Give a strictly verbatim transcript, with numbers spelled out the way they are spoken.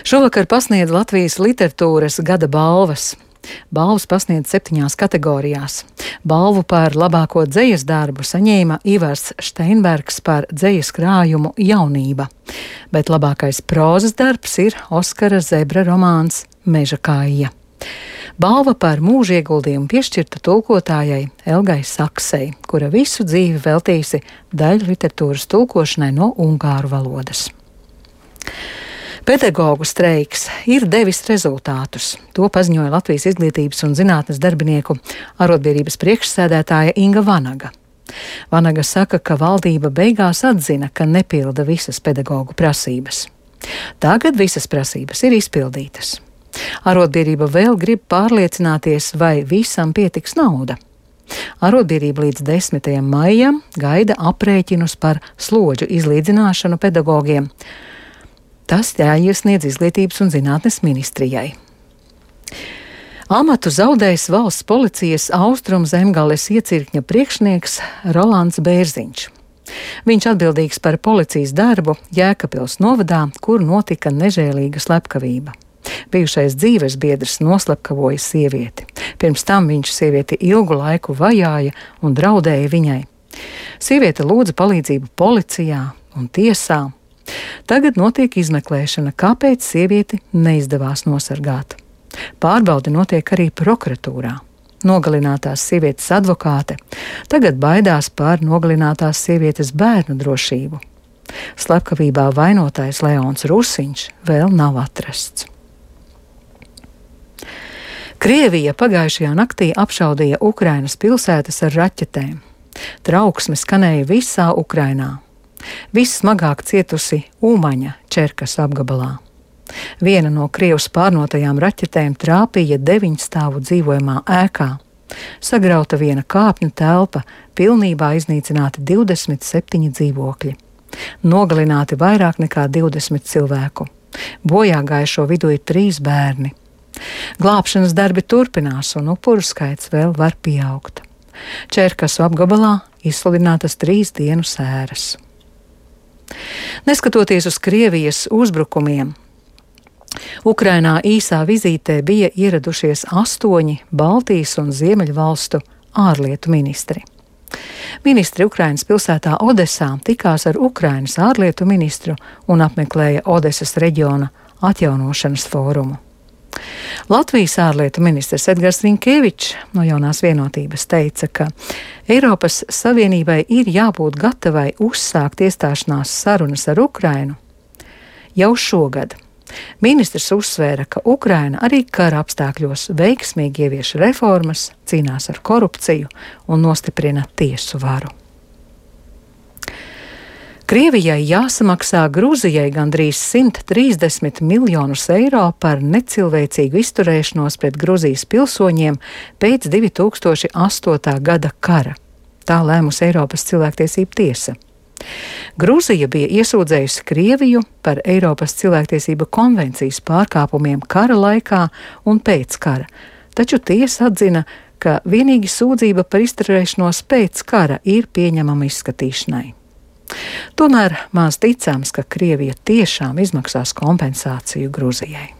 Šovakar pasniedz Latvijas literatūras gada balvas. Balvas pasniedz septiņās kategorijās. Balvu par labāko dzejas darbu saņēma Ivars Šteinbergs par dzejas krājumu Jaunība, bet labākais prózas darbs ir Oskara Zebra romāns Meža kāja. Balva par mūža ieguldījumu piešķirta tulkotājai Elgai Saksei, kura visu dzīvi veltījusi daļu literatūras tulkošanai no ungāru valodas. Pedagogu streiks ir devis rezultātus. To paziņoja Latvijas Izglītības un zinātnes darbinieku arotbiedrības priekšsēdētāja Inga Vanaga. Vanaga saka, ka valdība beigās atzina, ka nepilda visas pedagogu prasības. Tagad visas prasības ir izpildītas. Arotbiedrība vēl grib pārliecināties, vai visam pietiks nauda. Arotbiedrība līdz desmitajam maijam gaida aprēķinus par slodžu izlīdzināšanu pedagogiem. Tas jāiesniedz Izglītības un zinātnes ministrijai. Amatu zaudējis valsts policijas Austrum Zemgales iecirkņa priekšnieks Rolands Bērziņš. Viņš atbildīgs par policijas darbu Jēkabpils novadā, kur notika nežēlīga slepkavība. Bijušais dzīvesbiedrs noslepkavoja sievieti. Pirms tam viņš sievieti ilgu laiku vajāja un draudēja viņai. Sieviete lūdza palīdzību policijā un tiesā. Tagad notiek izmeklēšana, kāpēc sievieti neizdevās nosargāt. Pārbaude notiek arī prokuratūrā. Nogalinātās sievietes advokāte tagad baidās par nogalinātās sievietes bērnu drošību. Slepkavībā vainotais Leons Rusiņš vēl nav atrasts. Krievija pagājušajā naktī apšaudīja Ukrainas pilsētas ar raķetēm. Trauksme skanēja visā Ukrainā. Vissmagāk cietusi Umaņa Čerkas apgabalā. Viena no Krievijas pārnotajām raķetēm trāpīja deviņstāvu dzīvojamā ēkā. Sagrauta viena kāpņu telpa, pilnībā iznīcināti divdesmit septiņi dzīvokļi. Nogalināti vairāk nekā divdesmit cilvēku. Bojā gājušo vidū ir trīs bērni. Glābšanas darbi turpinās un upuru skaits vēl var pieaugt. Čerkasu apgabalā izsludinātas trīs dienu sēras. Neskatoties uz Krievijas uzbrukumiem, Ukrainā īsā vizītē bija ieradušies astoņi Baltijas un Ziemeļvalstu ārlietu ministri. Ministri Ukrainas pilsētā Odesā tikās ar Ukrainas ārlietu ministru un apmeklēja Odesas reģiona atjaunošanas fórumu. Latvijas ārlietu ministrs Edgars Rinkēvičs no Jaunās vienotības teica, ka Eiropas Savienībai ir jābūt gatavai uzsākt iestāšanās sarunas ar Ukrainu jau šogad. Ministrs uzsvēra, ka Ukraina arī kara apstākļos veiksmīgi ievieš reformas, cīnās ar korupciju un nostiprina tiesu varu. Krievijai jāsamaksā Gruzijai gandrīz simt trīsdesmit miljonus eiro par necilvēcīgu izturēšanos pret Gruzijas pilsoņiem pēc divi tūkstoši astotā gada kara. Tā lēmusi Eiropas cilvēktiesību tiesa. Gruzija bija iesūdzējusi Krieviju par Eiropas cilvēktiesību konvencijas pārkāpumiem kara laikā un pēc kara, taču tiesa atzina, ka vienīgi sūdzība par izturēšanos pēc kara ir pieņemama izskatīšanai. Tomēr maz ticams, ka Krievija tiešām izmaksās kompensāciju Gruzijai.